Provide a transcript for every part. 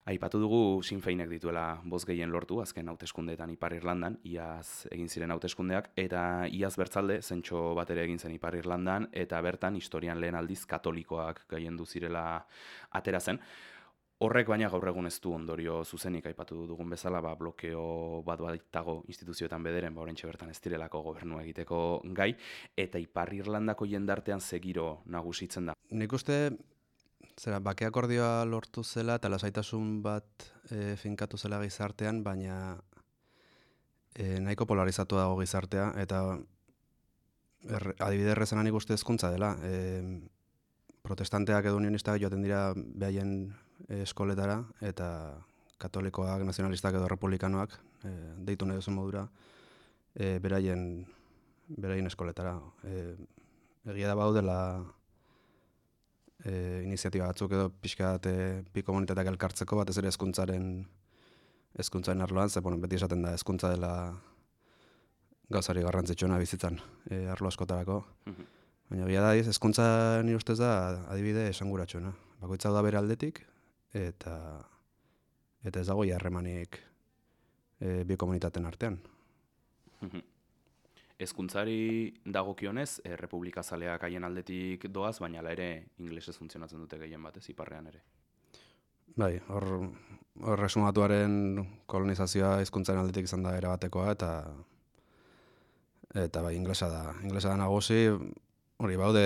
Aipatu dugu Sinn Féinek dituela boz gehien lortu, azken hauteskundeetan Ipar Irlandan, iaz egin ziren hauteskundeak, eta iaz bertzalde, zentxo bat ere egin zen Ipar Irlandan, eta bertan historian lehen aldiz katolikoak gaiendu zirela atera zen. Horrek baina gaur egun ez du ondorio zuzenik aipatu dugun bezala, blokeo bat baitago instituzioetan bederen, oraintxe bertan ez direlako gobernua egiteko gai, eta Ipar Irlandako jendartean segiro nagusitzen da. Nik uste, bake akordioa lortu zela eta lasaitasun bat finkatu zela gizartean, baina nahiko polarizatu dago gizartea, eta adibide errezena nik uste hezkuntza dela. Protestanteak edo unionistak joaten dira behaien eskoletara, eta katolikoak, nazionalistak edo republikanoak, deitu nahi duzu modura, beraien eskoletara. Egia da baudela iniziatiba batzuk edo pixkat bi komunitateak elkartzeko, batez ere hezkuntzaren arloan, ze beti esaten da hezkuntza dela gauzari garrantzitsuena bizitzan arlo askotarako. Baina egia da, hezkuntza nire ustez da adibide esanguratsuena. Bakoitza da bere aldetik, eta ez dago harremanik bi komunitateen artean. Hezkuntzari dagokionez, republikazaleak haien aldetik doaz, baina hala ere ingelesez funtzionatzen dute gehien batez, iparrean ere. Bai, hor resumatuaren kolonizazioa hizkuntzaren aldetik izan da erabatekoa, eta bai, inglesa da nagusi. Hori, baude,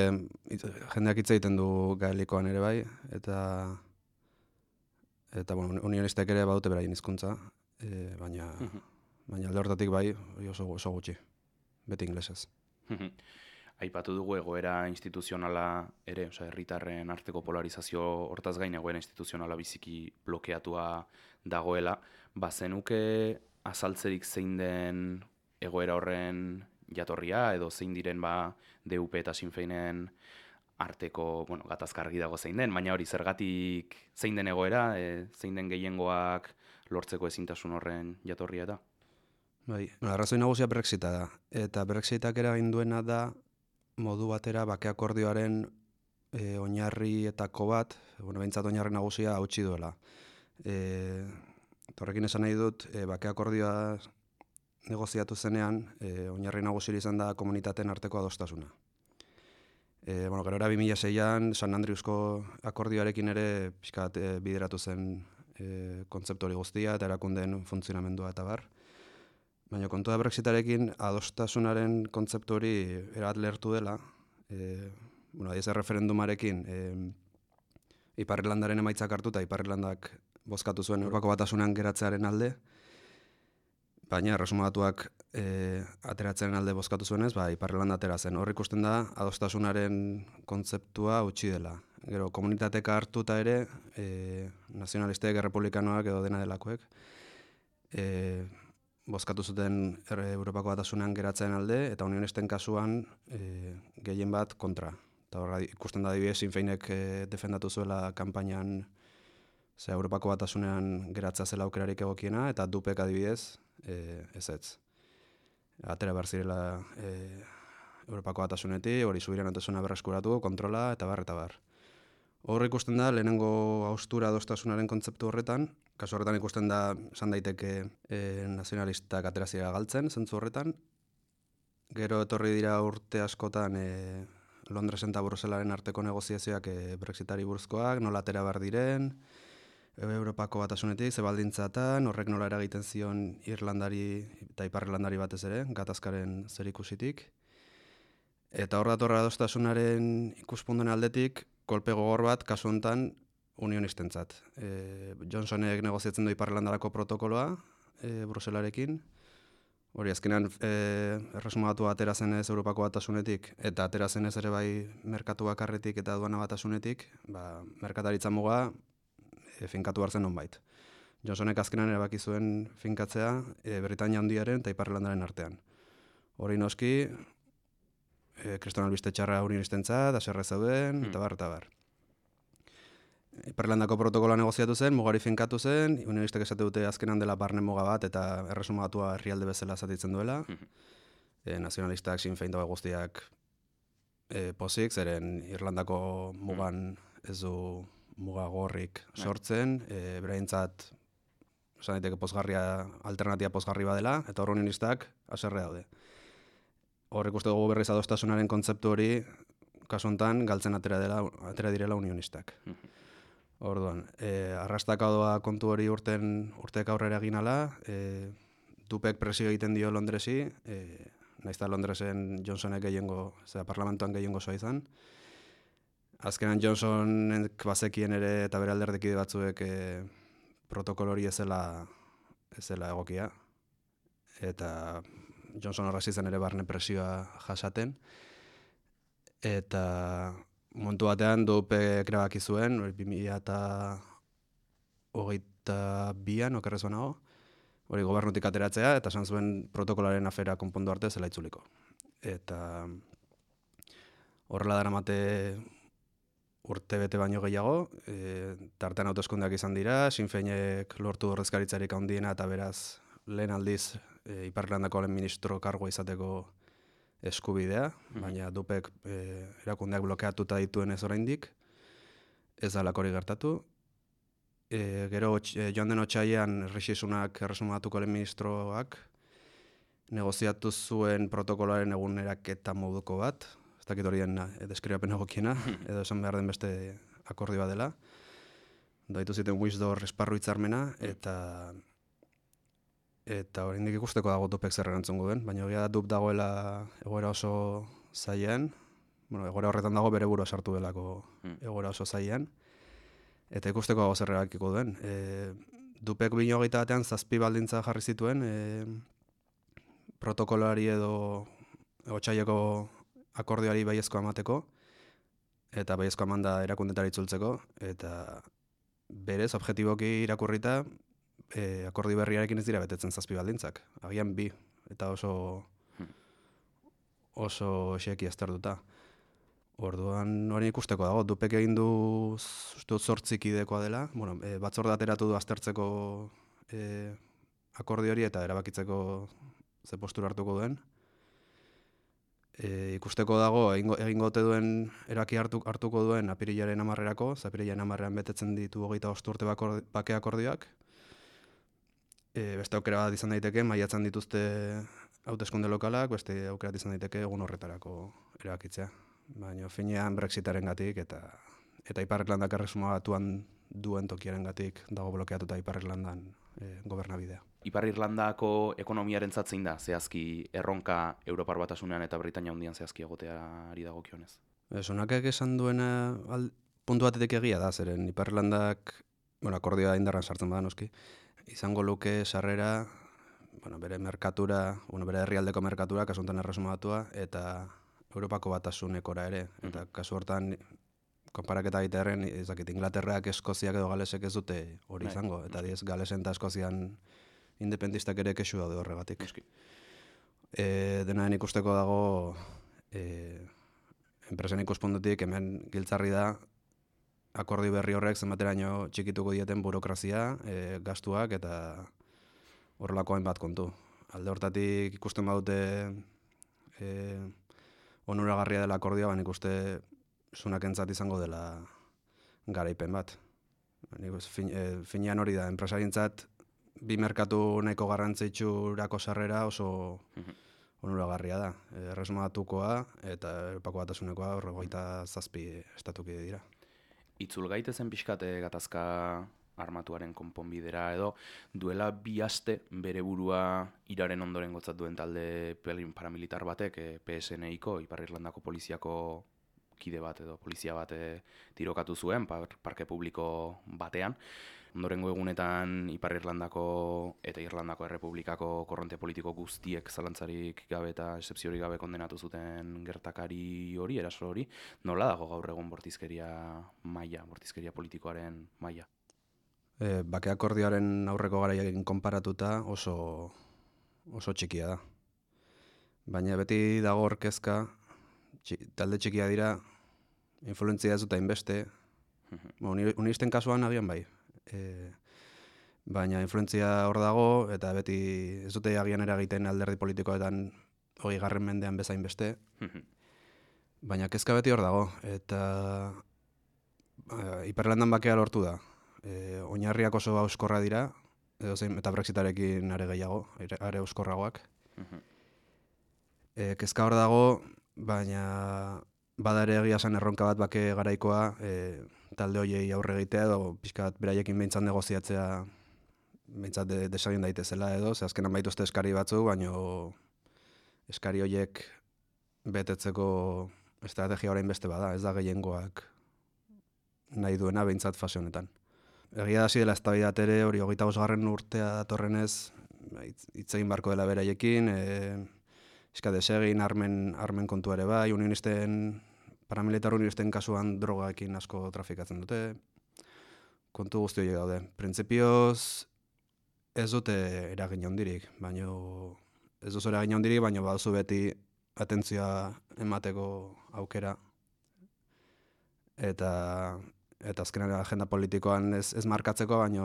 jendeak hitz egiten du gaelikoan ere bai, eta unionistek ere baute beraien hizkuntza, baina alde hortatik bai, oso gutxi, beti inglesez. Aipatu dugu egoera instituzionala ere, herritarren arteko polarizazio hortaz gain egoera instituzionala biziki blokeatua dagoela, bazenuke azaltzerik zein den egoera horren jatorria, edo zein diren DUP eta Sinn Féinen arteko, gatazkargi dago zein den, baina hori zergatik zein den egoera, zein den gehiengoak lortzeko ezintasun horren jatorria eta? Bai, arrazoi nagusia Brexita da, eta Brexitak eragin duena da modu batera bake akordioaren oinarrietako bat, behintzat oinarri nagusia hautsi duela. Horrekin esan nahi dut, bake akordioa negoziatu zenean, oinarri nagusiri izan da komunitateen arteko adostasuna. Gero 2006an, San Andreusko akordioarekin ere pixkat bideratu zen kontzeptu hori guztia eta erakundeen funtzionamendua eta bar. Baina kontua Brexitarekin adostasunaren kontzeptu hori erabat lehertu dela. Adiz referendumarekin Ipar Irlandaren emaitzak hartu eta Ipar Irlandak bozkatu zuen Europako Batasunean geratzearen alde. Baina erresumatuak ateratzen alde bozkatu zuenez, Ipar Irlanda atera zen. Hor ikusten da adostasunaren kontzeptua utzi dela. Gero komunitateka hartuta ere, nazionalistek, errepublikanoak edo dena delakoek, bozkatu zuten Europako Batasunean geratzen alde, eta unionisten kasuan gehien bat kontra. Eta horra ikusten da adibidez, Sinn Féinek defendatu zuela kanpainan Europako Batasunean geratzea zela aukerarik egokiena, eta DUPek adibidez ezetz. Atera behar zirela Europako Batasunetik, hori subiranotasuna berreskuratu, kontrola, eta bar. Hor ikusten da, lehenengo haustura adostasunaren kontzeptu horretan, kasu horretan ikusten da, esan daiteke nazionalistak aterazira galtzen, zentzu horretan. Gero etorri dira urte askotan Londresen eta Bruselaren arteko negoziazioak Brexitari buruzkoak, nola atera behar diren, Europako Batasunetik, zebaldintzatan, horrek nola eragiten zion Irlandari eta Ipar Irlandari batez ere, gatazkaren zerikusitik. Eta hor datorra adostasunaren ikuspunduen aldetik, kolpe gogor bat, kasu honetan, unionistentzat. Johnsonek negoziatzen du Ipar Irlandarako protokoloa, Bruselarekin. Hori, azkenean, erresumatu atera zenez Europako Batasunetik, eta atera zenez ere bai merkatu bakarretik eta aduana Batasunetik, merkataritza muga finkatu hartzen nonbait. Johnsonek azkenean erabaki zuen finkatzea Britania Handiaren eta Ipar Irlandaren artean. Hori noski, kriston albiste txarra unionistentzat, haserre zeuden, eta bar. Ipar Irlandako protokoloa negoziatu zen, mugari finkatu zen, unionistek esate dute azkenan dela barne muga bat, eta erresumatua herrialde bezala zatitzen duela. Nazionalistak, Sinn Féin dago guztiak pozik, zeren Irlandako mugan ez du mugagorrik sortzen, beraientzat esan daiteke alternatibia pozgarri badela, eta hor unionistak haserre daude. Hor ikuste dugu berriz adostasunaren kontzeptu hori, kasu honetan, galtzen atera direla unionistak. Orduan, arrastakadoa kontu hori urtek aurrera egin ala, Dupek presio egiten dio Londresi, nahiz eta Londresen Johnsonek parlamentuan gehiengo zoa izan. Azkenan Johnsonek bazekien ere eta bere alderdekide batzuek protokolo hori ez zela egokia. Eta Johnson horrasi zen ere barne presioa jasaten. Eta momentu batean Dupek erabaki zuen, 2022an okerrez banago, hori gobernutik ateratzea, eta esan zuen protokolaren afera konpondu arte zela itzuliko. Eta horrela daramate urte bete baino gehiago, tartean hauteskundeak izan dira, Sinn Féinek lortu ordezkaritzarik handiena eta beraz lehen aldiz Ipar Irlandako lehen ministro kargoa izateko eskubidea, baina Dupek erakundeak blokeatuta dituen ez oraindik, ez da hori gertatu. Gero joan den otsailean Rishi Sunak erresumatuko lehen ministroak negoziatu zuen protokoloaren eguneraketa moduko bat, ez dakit horien deskribapen egokiena, edo esan behar den beste akordioa dela. Daitu ziten Wisdor esparru hitzarmena, eta oraindik ikusteko dago Dupek zer erantzungo duen, baina egia da Dup dagoela egoera oso zailean, egoera horretan dago bere burua sartu delako egoera oso zailean, eta ikusteko dago zer erabakiko duen. Dupek 2021 batean 7 baldintza jarri zituen, protokolari edo otsaileko akordioari baiezkoa emateko, eta baiezkoa emanda erakundetara itzultzeko, eta berez, objektiboki irakurrita, akordio berriarekin ez dira betetzen 7 baldintzak. Agian 2, eta oso xeki aztertuta. Orduan hori ikusteko dago, Dupek egin du 8 kidekoa dela, batzorde ateratu du aztertzeko akordio hori eta erabakitzeko ze postura hartuko duen. Ikusteko dago, egingo ote duen eraki hartuko duen apirilaren 10erako, apirilaren 10ean betetzen ditu 25 urte bake akordioak. Beste aukera bat izan daiteke, maiatzan dituzte hauteskunde lokalak, beste aukera izan daiteke egun horretarako erabakitzea. Baina finean Brexitarengatik eta Ipar Irlandak erresuma batuan duen tokiarengatik dago blokeatuta Ipar Irlandan gobernabidea. Ipar Irlandako ekonomiarentzat zein da zehazki erronka Europar Batasunean eta Britainia Handian zehazki egoteari dagokionez? Sunakek esan duena puntu batetik egia da, zeren Ipar Irlandak, akordioa indarran sartzen bada noski, izango luke sarrera, bere merkatura, bere herrialdeko merkatura, kasu honetan erresuma batua, eta Europako Batasunekora ere. Eta kasu hortan, konparaketa egitearen, Inglaterrak, Eskoziak edo Galesek ez dute hori izango, eta diez Galesen eta Eskozian independistak ere kexu daude horregatik. Denaren ikusteko dago, enpresen ikuspuntutik hemen giltzarri da, akordio berri horrek zenbateraino txikituko dieten burokrazia, gastuak eta horrelako hainbat kontu. Alde hortatik ikusten badute onuragarria dela akordioa, ikuste Sunakentzat izango dela garaipen bat. Finean hori da, enpresarientzat bi merkatu nahiko garrantzitsurako sarrera oso onuragarria da. Erresuma Batukoa eta Europako Batasunekoa 27 estatukide dira. Itzul gaitezen pixkate gatazka armatuaren konponbidera edo duela 2 aste bere burua iraren ondoren gotzat duen talde paramilitar batek PSNI-ko, Ipar Irlandako poliziako kide bat edo polizia bat tirokatu zuen parke publiko batean. Ondorengo egunetan Ipar Irlandako eta Irlandako Errepublikako korronte politiko guztiek zalantzarik gabe eta exzepziorik gabe kondenatu zuten gertakari hori, eraso hori. Nola dago gaur egun bortizkeria politikoaren maila? Bake akordioaren aurreko garaiarekin konparatuta oso txikia da. Baina beti dago orkezka, talde txikia dira, influentzia ez dut hainbeste, unisten kasuan agian bai. Baina influentzia hor dago, eta beti ez dute agian eragiten alderdi politikoetan 20. mendean bezain beste. Baina kezka beti hor dago, eta Iparlandan bakea lortu da. Oinarriak oso hauskorra dira, eta Brexitarekin are gehiago, are hauskorragoak. Kezka hor dago, baina bada ere egia esan erronka bat bake garaikoa, talde horiei aurre egitea edo pixka bat beraiekin behintzat negoziatzea behintzat desegin daitezela edo, ze azkenan baituzte eskari batzu, baina eskari horiek betetzeko estrategia orain beste bada, ez da gehiengoak nahi duena behintzat fase honetan. Egia hasi dela eztabaida ere hori 25. urtea datorrenez hitz egin barko dela beraiekin, desegin armen kontua ere bai, paramilitar unionisten kasuan drogaekin asko trafikatzen dute, kontu guzti horiek daude. Printzipioz ez dute eragin handirik, baina baduzu beti atentzioa emateko aukera, eta azkenean agenda politikoan ez markatzeko, baina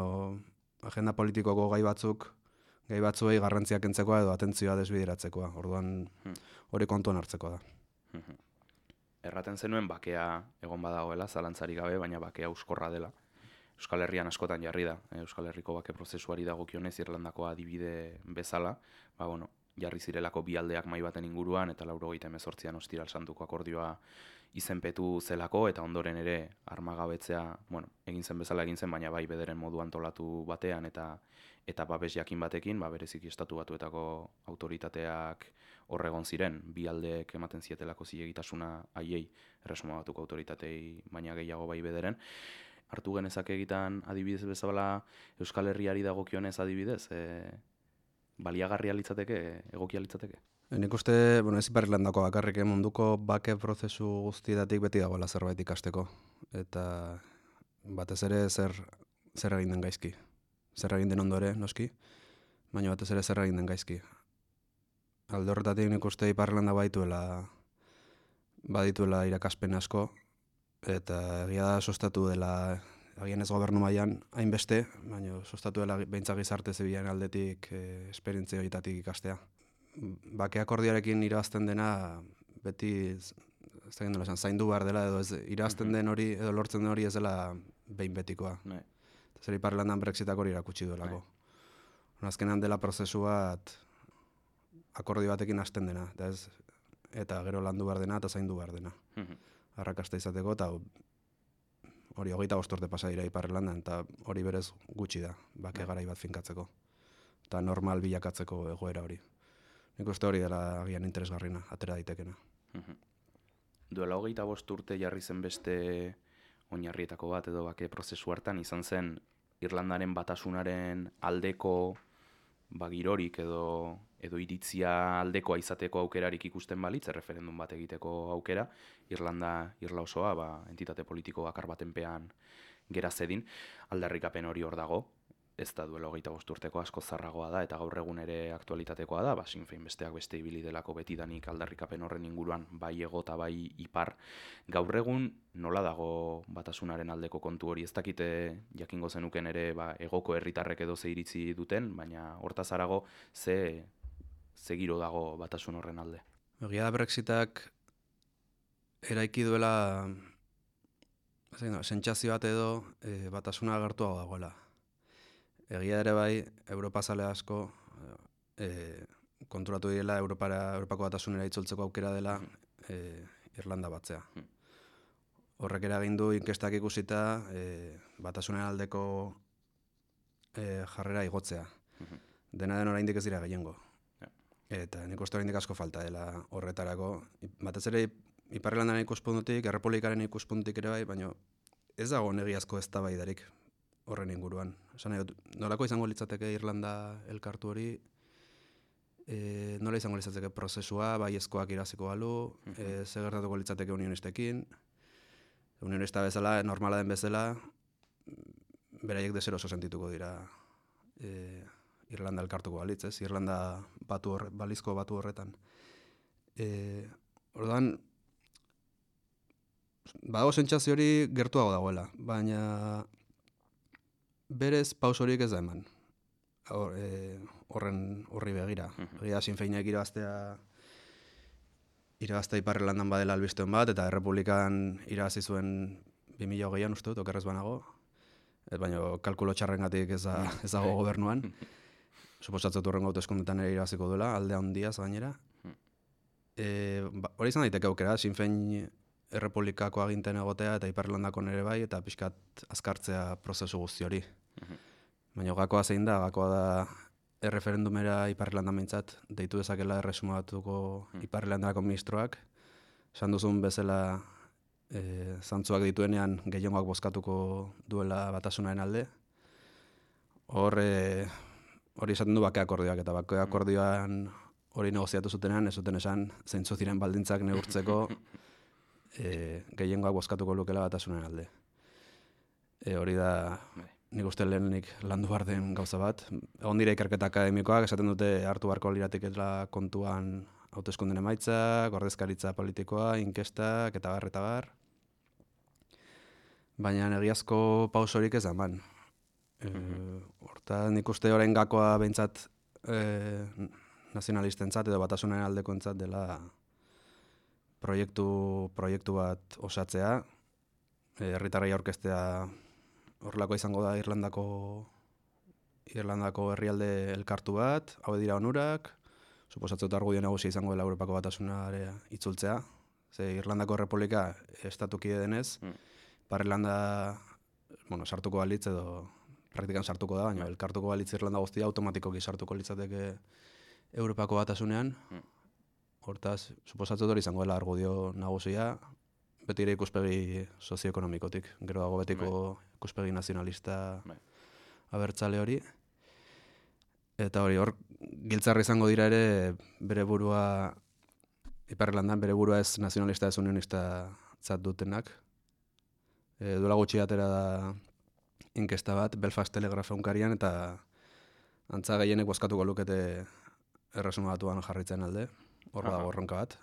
agenda politikoko gai batzuei garrantziak kentzeko edo atentzioa desbideratzekoa. Orduan hori kontuan hartzekoa da. Erraten zenuen bakea egon badagoela, zalantzarik gabe, baina bakea euskorra dela. Euskal Herrian askotan jarri da. Euskal Herriko bake prozesuari dagokionez Irlandako adibide bezala, jarri zirelako bi aldeak mahai baten inguruan, eta 1998an Ostiral Santuko akordioa izenpetu zelako, eta ondoren ere armagabetzea, egin zen bezala egin zen, baina bai bederen modu antolatu batean, eta babes jakin batekin, bereziki Estatu Batuetako autoritateak horregon ziren, bi aldeek ematen zietelako zilegitasuna haiei, Erresuma Batuko autoritatei, baina gehiago bai bederen. Hartu genezake egitan adibidez bezala Euskal Herriari dagokionez adibidez, baliagarria litzateke, egokia litzateke? Nik uste, ez Iparlandako bakarrik, munduko bake prozesu guztietatik beti dagoela zerbait ikasteko. Eta batez ere zer egin den gaizki. Zer egin den ondo ere, noski, baina batez ere zer egin den gaizki. Alde horretatik nik uste Iparlanda badituela irakaspen asko, eta egia da sostatu dela, agian ez gobernu mailan hainbeste, baina sostatu dela behintzat gizarte zibilen aldetik esperientzia horietatik ikastea. Bake akordioarekin irabazten dena beti zaindu behar dela, edo irabazten den hori edo lortzen den hori ez dela behin betikoa. Zer Iparlandan Brexitak hori erakutsi duelako. Azkenean dela prozesu bat akordio batekin hasten dena, eta gero landu behar dena eta zaindu behar dena. Arrakasta izateko, eta hori 25 urte pasa dira Iparlandan, eta hori berez gutxi da, bake garai bat finkatzeko. Eta normal bilakatzeko egoera hori. Nik uste hori dela agian interesgarrina, atera daitekena. Duela 25 urte jarri zen beste oinarrietako bat edo bake prozesu hartan, izan zen Irlandaren batasunaren aldeko girorik edo iritzia aldekoa izateko aukerarik ikusten balitz, referendum bat egiteko aukera, Irla osoa entitate politiko bakar batenpean gera zedin, aldarrikapen hori hor dago, ez da duela 25 urteko asko zarragoa da, eta gaur egun ere aktualitatekoa da, Sinn Féin besteak beste ibili delako betidanik aldarrikapen horren inguruan, bai ego eta bai ipar. Gaur egun nola dago batasunaren aldeko kontu hori, ez dakite jakingo zenuken ere egoko herritarrek edo ze iritzi duten, baina hortaz harago ze giro dago batasun horren alde. Egia da Brexitak eraiki duela sentsazio bat edo batasuna agertuago dagoela. Egia ere bai, Europazale asko konturatu direla Europako batasunera itzultzeko aukera dela Irlanda batzea. Horrek eragin du inkestak ikusita batasunen aldeko jarrera igotzea. Dena den oraindik ez dira gehiengo. Eta nik uste oraindik asko falta dela horretarako. Batez ere Iparlandaren ikuspuntutik, Errepublikaren ikuspuntutik ere bai, baina ez dago negiazko eztabaidarik horren inguruan. Nolako izango litzateke Irlanda elkartu hori, nola izango litzateke prozesua, baiezkoak iraziko balu, ze gertatuko litzateke unionistekin, unionista bezala, normala den bezala, beraiek deseroso sentituko dira Irlanda elkartuko balitz, ez? Irlanda balizko batu horretan. Orduan, badago sentsazio hori gertuago dagoela, baina berez paus horiek ez da eman. Horri begira. Egia Sinn Féinek irabaztea Iparlandan badela albistuen bat, eta Errepublikan irabazi zuen 2008an uste dut, okerrez banago, baina kalkulo txarrengatik ez dago gobernuan. Suposatzatu horrengo hauteskundetan ere irabaziko duela, alde handiaz gainera. Hori izan daiteke aukera, Sinn Féin Errepublikako aginten egotea eta Ipar-Irlandako nere bai, eta pixkat azkartzea prozesu guzti hori. Baina gakoa zein da, gakoa da erreferendumera Ipar-Irlanda mintzat, deitu dezakela erresuma batuko Ipar-Irlandako ministroak, esan duzun bezala zantzuak dituenean gehiengoak bozkatuko duela batasunaren alde. Hori esaten du bake akordioak, eta bake akordioan hori negoziatu zutenean, ez zuten esan zeintzu ziren baldintzak neurtzeko gehiengoak bozkatuko lukela batasunaren alde. Hori da nik uste lehenik landu behar den gauza bat. Egon dira ikerketa akademikoak, esaten dute hartu beharko liratekela kontuan hauteskunden emaitzak, ordezkaritza politikoa, inkestak, eta bar. Baina egiazko pausorik ez da eman. Horta nik uste orain gakoa behintzat nazionalistentzat edo batasunaren aldekoentzat dela proiektu bat osatzea, herritarrei aurkeztea horrelako izango da Irlandako herrialde elkartu bat, hau dira onurak, suposatzen dut argudio nagusia izango dela Europako batasunare itzultzea, ze Irlandako Errepublika estatukide denez, Ipar-Irlanda sartuko balitz edo praktikan sartuko da, baina elkartuko balitz Irlanda guztia automatikoki sartuko litzateke Europako batasunean. Hortaz, suposatzen hori izango dela argudio nagusia, beti ere ikuspegi sozioekonomikotik, gero dago betiko ikuspegi nazionalista abertzale hori. Eta hor giltzarra izango dira ere bere burua, Ipar-Irlandan bere burua ez nazionalista ez unionista zat dutenak. Duela gutxi atera da inkesta bat, Belfast Telegraph egunkarian, eta antza gehienek bozkatuko lukete erresuma batuan jarritzen alde. Hor dago erronka bat,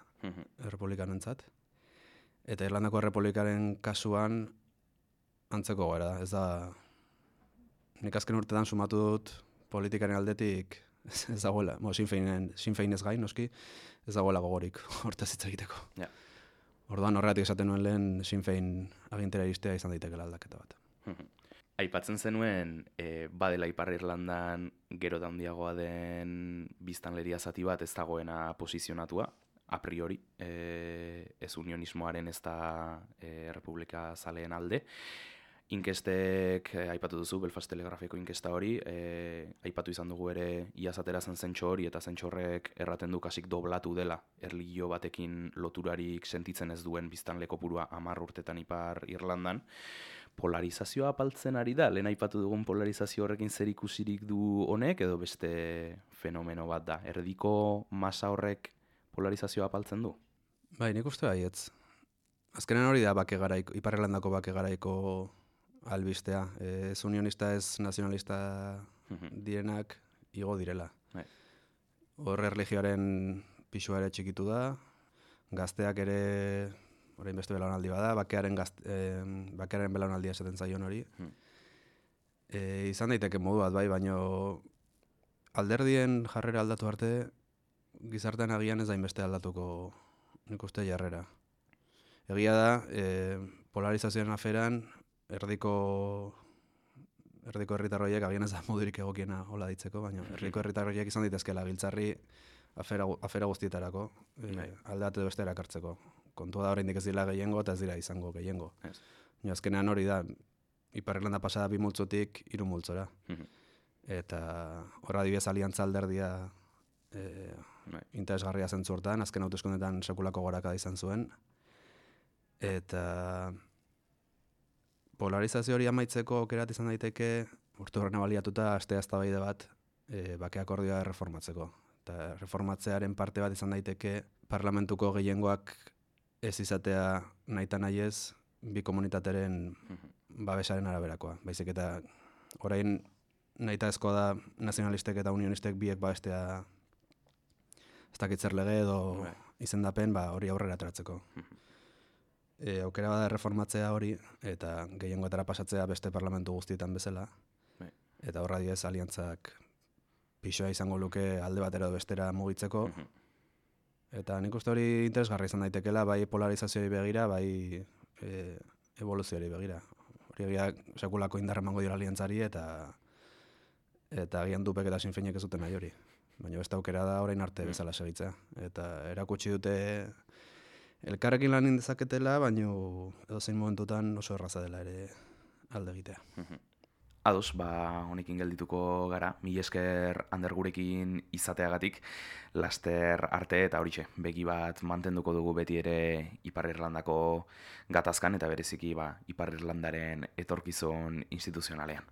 errepublikanentzat. Eta Irlandako Errepublikaren kasuan antzeko gara da. Ez da, nik azken urtetan sumatu dut politikaren aldetik ez dagoela, Sinn Féin ez gain, noski, ez dagoela gogorik hortaz hitz egiteko. Orduan horregatik esaten nuen lehen Sinn Féin agintera iristea izan daitekela aldaketa bat. Aipatzen zenuen, badela Ipar-Irlandan gero da handiagoa den biztanleria zati bat ez dagoena posizionatua, a priori, ez unionismoaren ez da Errepublika zaleen alde. Inkestek, aipatu duzu, Belfast Telegrafeko inkesta hori, aipatu izan dugu ere iaz atera zen zentxo hori, eta zentxo horrek erraten du kasik doblatu dela erlijio batekin loturarik sentitzen ez duen biztanle kopurua 10 urtetan Ipar-Irlandan. Polarizazioa apaltzen ari da, lehen aipatu dugun polarizazio horrekin zer ikusirik du honek, edo beste fenomeno bat da. Erdiko masa horrek polarizazioa apaltzen du? Bai, nik uste baietz. Azkenean hori da Ipar-Irlandako bake garaiko albistea. Ez unionista ez nazionalista direnak igo direla. Horre erlijioaren pisua ere txikitu da, gazteak ere orain beste belaunaldi bada, bakearen belaunaldia esaten zaion hori. Izan daiteke modu bat bai, baino alderdien jarrera aldatu arte, gizartean agian ez dainbeste aldatuko nik uste jarrera. Egia da, polarizazioaren aferan, erdiko herritarroiek agian ez da modurik egokiena hola ditzeko, baina erdiko herritarroiek izan daitezkela giltzarri afera guztietarako, alde edo beste erakartzeko. Kontua da oraindik ez dira gehiengo eta ez dira izango gehiengo. Azkenean hori da, Ipar-Irlanda pasada 2 multzotik 3 multzora. Eta horra adibidez aliantza alderdia interesgarria zentzu hortan, azken hauteskundeetan sekulako gorakada izan zuen. Eta polarizazio hori amaitzeko aukerat izan daiteke, urte horrena baliatuta astea eztabaide bat bake akordioa erreformatzeko. Eta reformatzearen parte bat izan daiteke parlamentuko gehiengoak ez izatea nahita nahiez bi komunitateren babesaren araberakoa. Baizik eta orain nahita ezkoa da nazionalistek eta unionistek biek babestea ez dakitzer lege edo izendapen hori aurrera ateratzeko. Aukera bada erreformatzea hori eta gehiengoetara pasatzea beste parlamentu guztietan bezala. Eta horra diez aliantzak pixoa izango luke alde batera edo bestera mugitzeko. Eta nik uste hori interesgarri izan daitekela, bai polarizazioari begira, bai evoluzioari begira. Hori egia sekulako indarra emango dira aliantzari eta agian dupek eta sinfeinek ez duten nahi hori. Baina beste aukera da orain arte bezala segitzea. Eta erakutsi dute elkarrekin lan dezaketela, baina edozein momentutan oso erraza dela ere alde egitea. Ados, honekin geldituko gara, mila esker Ander gurekin izateagatik, laster arte eta horixe, begi bat mantenduko dugu beti ere Ipar Irlandako gatazkan eta bereziki Ipar Irlandaren etorkizun instituzionalean.